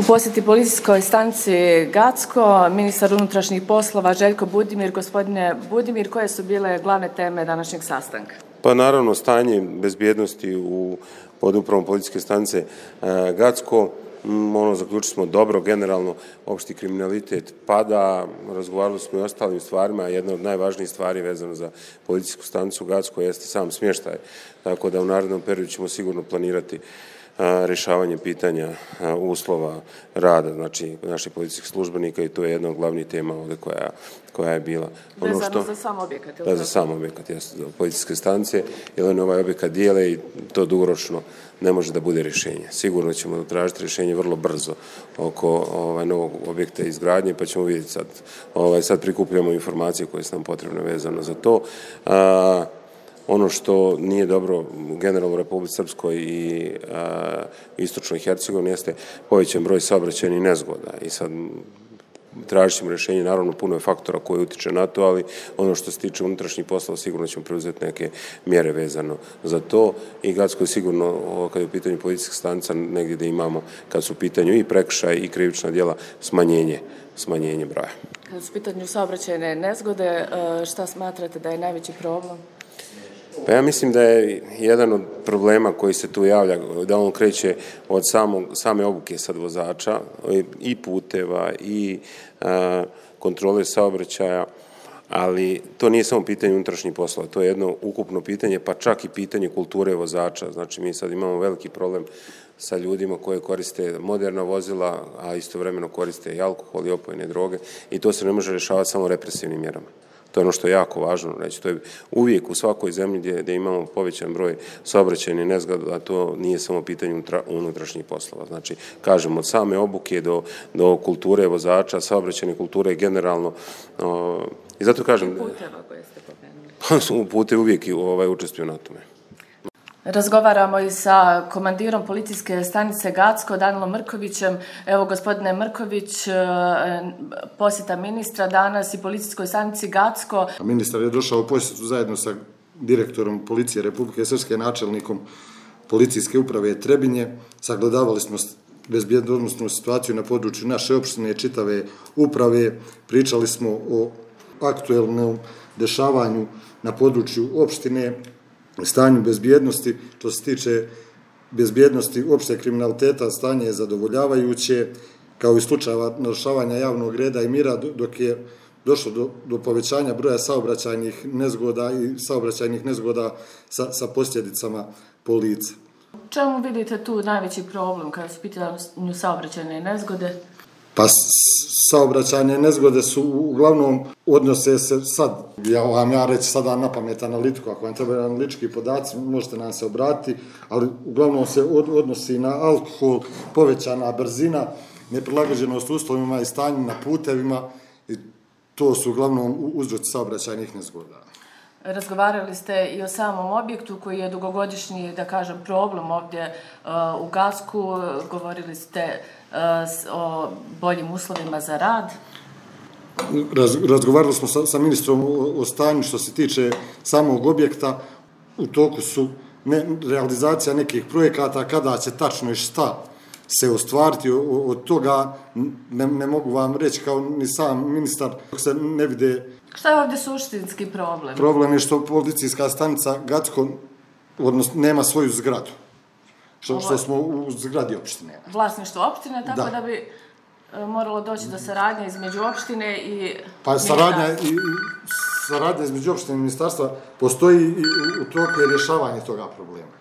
posjeti policijskoj stanici Gacko, ministar unutrašnjih poslova Željko Budimir. Gospodine Budimir, koje su bile glavne teme današnjeg sastanka? Pa naravno, stanje bezbjednosti pod upravom policijske stanice Gacko. Zaključili smo dobro, generalno opšti kriminalitet pada, razgovarali smo i o ostalim stvarima, a jedna od najvažnijih stvari vezano za policijsku stanicu Gacko jeste sam smještaj, tako da u narednom periodu ćemo sigurno planirati rješavanje pitanja uslova rada, znači naših policijskih službenika, i to je jedna od glavnih tema ovdje koja je bila. Vezano za sam objekat? Da, za sam objekat, jeste, policijske stanice, jer oni ovaj objekat dijele i to dugoročno ne može da bude rješenje. Sigurno ćemo tražiti rješenje vrlo brzo oko novog objekta izgradnje, pa ćemo vidjeti sad prikupljamo informacije koje su nam potrebne vezano za to. Ono što nije dobro generalno u Republici Srpskoj i istočnoj Hercegovini jeste povećan broj saobraćajnih nezgoda i sad tražit ćemo rješenje, naravno puno je faktora koji utiče na to, ali ono što se tiče unutrašnjih poslova sigurno ćemo preuzeti neke mjere vezano za to i Gacko je sigurno, kad je u pitanju policijskih stanica, negdje da imamo, kad su u pitanju i prekršaj i krivična djela, smanjenje broja. Kad su u pitanju saobraćajne nezgode, šta smatrate da je najveći problem? Pa ja mislim da je jedan od problema koji se tu javlja, da on kreće od same obuke sad vozača i puteva i kontrole saobraćaja, ali to nije samo pitanje unutrašnjih poslova, to je jedno ukupno pitanje, pa čak i pitanje kulture vozača. Znači mi sad imamo veliki problem sa ljudima koji koriste moderna vozila, a istovremeno koriste i alkohol i opojne droge, i to se ne može rješavati samo represivnim mjerama. To je ono što je jako važno reći. To je uvijek u svakoj zemlji gdje imamo povećan broj saobraćajnih nezgoda, a to nije samo pitanje unutrašnjih poslova. Znači, kažem, od same obuke do kulture vozača, saobraćajne kulture generalno. I zato kažem... Puteva koje ste pomenuli? Putevi uvijek učestvuju na tome. Razgovaramo i sa komandirom policijske stanice Gacko, Danilom Mrkovićem. Evo, gospodine Mrković, posjeta ministra danas i policijskoj stanici Gacko. Ministar je došao u posjetu zajedno sa direktorom policije Republike Srpske, načelnikom policijske uprave Trebinje. Sagledavali smo bezbjednosnu situaciju na području naše opštine, čitave uprave. Pričali smo o aktuelnom dešavanju na području opštine, stanju bezbjednosti. Što se tiče bezbjednosti opšte kriminaliteta, stanje je zadovoljavajuće, kao i slučajeva narušavanja javnog reda i mira, dok je došlo do povećanja broja saobraćajnih nezgoda i saobraćajnih nezgoda sa posljedicama po lice. Čemu vidite tu najveći problem kada su pitanju saobraćajne nezgode? Pa saobraćajne nezgode su uglavnom odnose se sad, ja reći sada na pamet analitiku, ako vam trebaju analitički podaci, možete nam se obratiti, ali uglavnom se odnosi na alkohol, povećana brzina, neprilagođenost uslovima i stanju na putevima, i to su uglavnom uzroci saobraćajnih nezgoda. Razgovarali ste i o samom objektu koji je dugogodišnji, da kažem, problem ovdje u Gacku. Govorili ste o boljim uslovima za rad. Razgovarali smo sa ministrom o stanju što se tiče samog objekta. U toku su realizacija nekih projekata, kada će tačno i šta se ostvariti od toga, ne mogu vam reći kao ni sam ministar, dok se ne vide. Šta je ovdje suštinski problem? Problem je što policijska stanica Gacko nema svoju zgradu. Što smo u zgradi opštine. Vlasništvo opštine, tako da bi moralo doći do saradnje između opštine i... Pa saradnja između opštine i ministarstva postoji i u toku je rješavanje toga problema.